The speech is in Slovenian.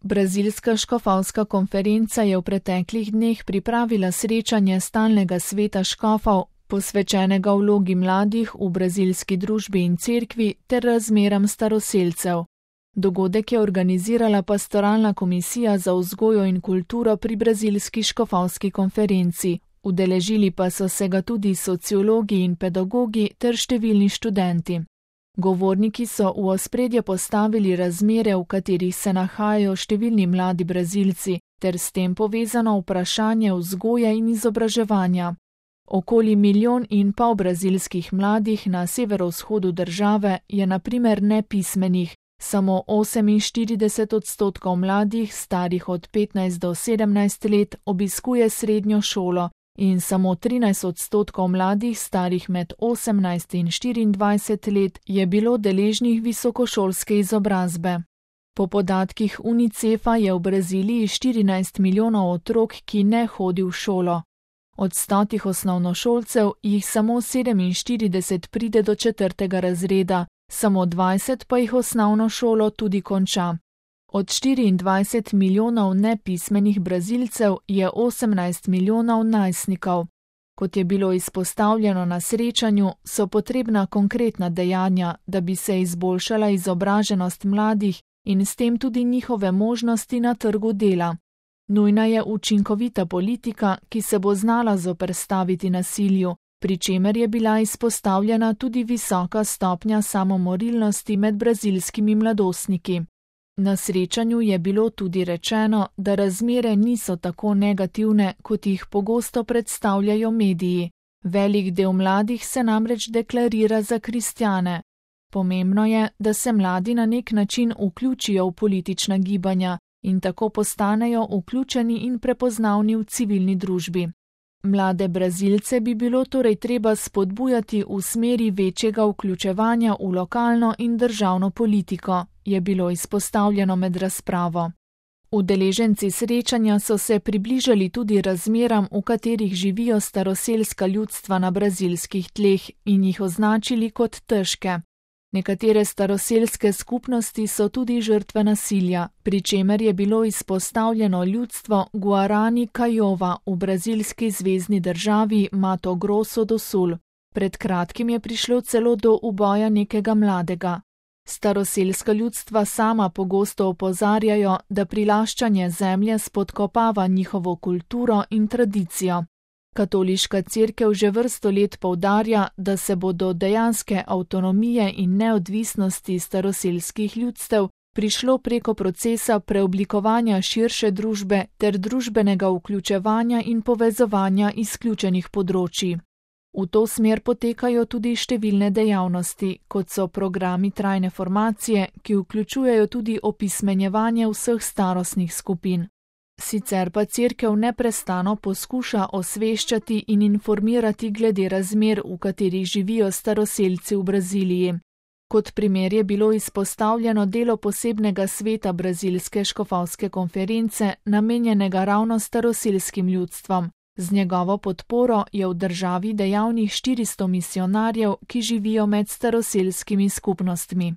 Brazilska škofovska konferenca je v preteklih dneh pripravila srečanje stalnega sveta škofov, posvečenega vlogi mladih v brazilski družbi in cerkvi ter razmeram staroselcev. Dogodek je organizirala pastoralna komisija za vzgojo in kulturo pri brazilski škofovski konferenci, udeležili pa so se ga tudi sociologi in pedagogi ter številni študenti. Govorniki so v ospredje postavili razmere, v katerih se nahajajo številni mladi Brazilci, ter s tem povezano vprašanje vzgoje in izobraževanja. Okoli 1,5 milijona brazilskih mladih na severovzhodu države je na primer nepismenih, samo 48% mladih starih od 15 do 17 let obiskuje srednjo šolo in samo 13% mladih starih med 18 in 24 let je bilo deležnih visokošolske izobrazbe. Po podatkih UNICEF-a je v Braziliji 14 milijonov otrok, ki ne hodi v šolo. Od 100 osnovnošolcev jih samo 47 pride do 4. razreda, samo 20 pa jih osnovno šolo tudi konča. Od 24 milijonov nepismenih Brazilcev je 18 milijonov najstnikov. Kot je bilo izpostavljeno na srečanju, so potrebna konkretna dejanja, da bi se izboljšala izobraženost mladih in s tem tudi njihove možnosti na trgu dela. Nujna je učinkovita politika, ki se bo znala zoperstaviti nasilju, pri čemer je bila izpostavljena tudi visoka stopnja samomorilnosti med brazilskimi mladostniki. Na srečanju je bilo tudi rečeno, da razmere niso tako negativne, kot jih pogosto predstavljajo mediji. Velik del mladih se namreč deklarira za kristjane. Pomembno je, da se mladi na nek način vključijo v politična gibanja in tako postanejo vključeni in prepoznavni v civilni družbi. Mlade Brazilce bi bilo torej treba spodbujati v smeri večjega vključevanja v lokalno in državno politiko, je bilo izpostavljeno med razpravo. Udeleženci srečanja so se približali tudi razmeram, v katerih živijo staroselska ljudstva na brazilskih tleh in jih označili kot težke. Nekatere staroselske skupnosti so tudi žrtve nasilja, pri čemer je bilo izpostavljeno ljudstvo Guarani Kaiowá v brazilski zvezni državi Mato Grosso do Sul. Pred kratkim je prišlo celo do uboja nekega mladega. Staroselska ljudstva sama pogosto opozarjajo, da prilaščanje zemlje spodkopava njihovo kulturo in tradicijo. Katoliška cerkev že vrsto let poudarja, da se bo do dejanske avtonomije in neodvisnosti staroselskih ljudstev prišlo preko procesa preoblikovanja širše družbe ter družbenega vključevanja in povezovanja izključenih področij. V to smer potekajo tudi številne dejavnosti, kot so programi trajne formacije, ki vključujejo tudi opismenjevanje vseh starostnih skupin. Sicer pa cerkev neprestano poskuša osveščati in informirati glede razmer, v katerih živijo staroselci v Braziliji. Kot primer je bilo izpostavljeno delo posebnega sveta brazilske škofovske konference, namenjenega ravno staroselskim ljudstvom. Z njegovo podporo je v državi dejavnih 400 misijonarjev, ki živijo med staroselskimi skupnostmi.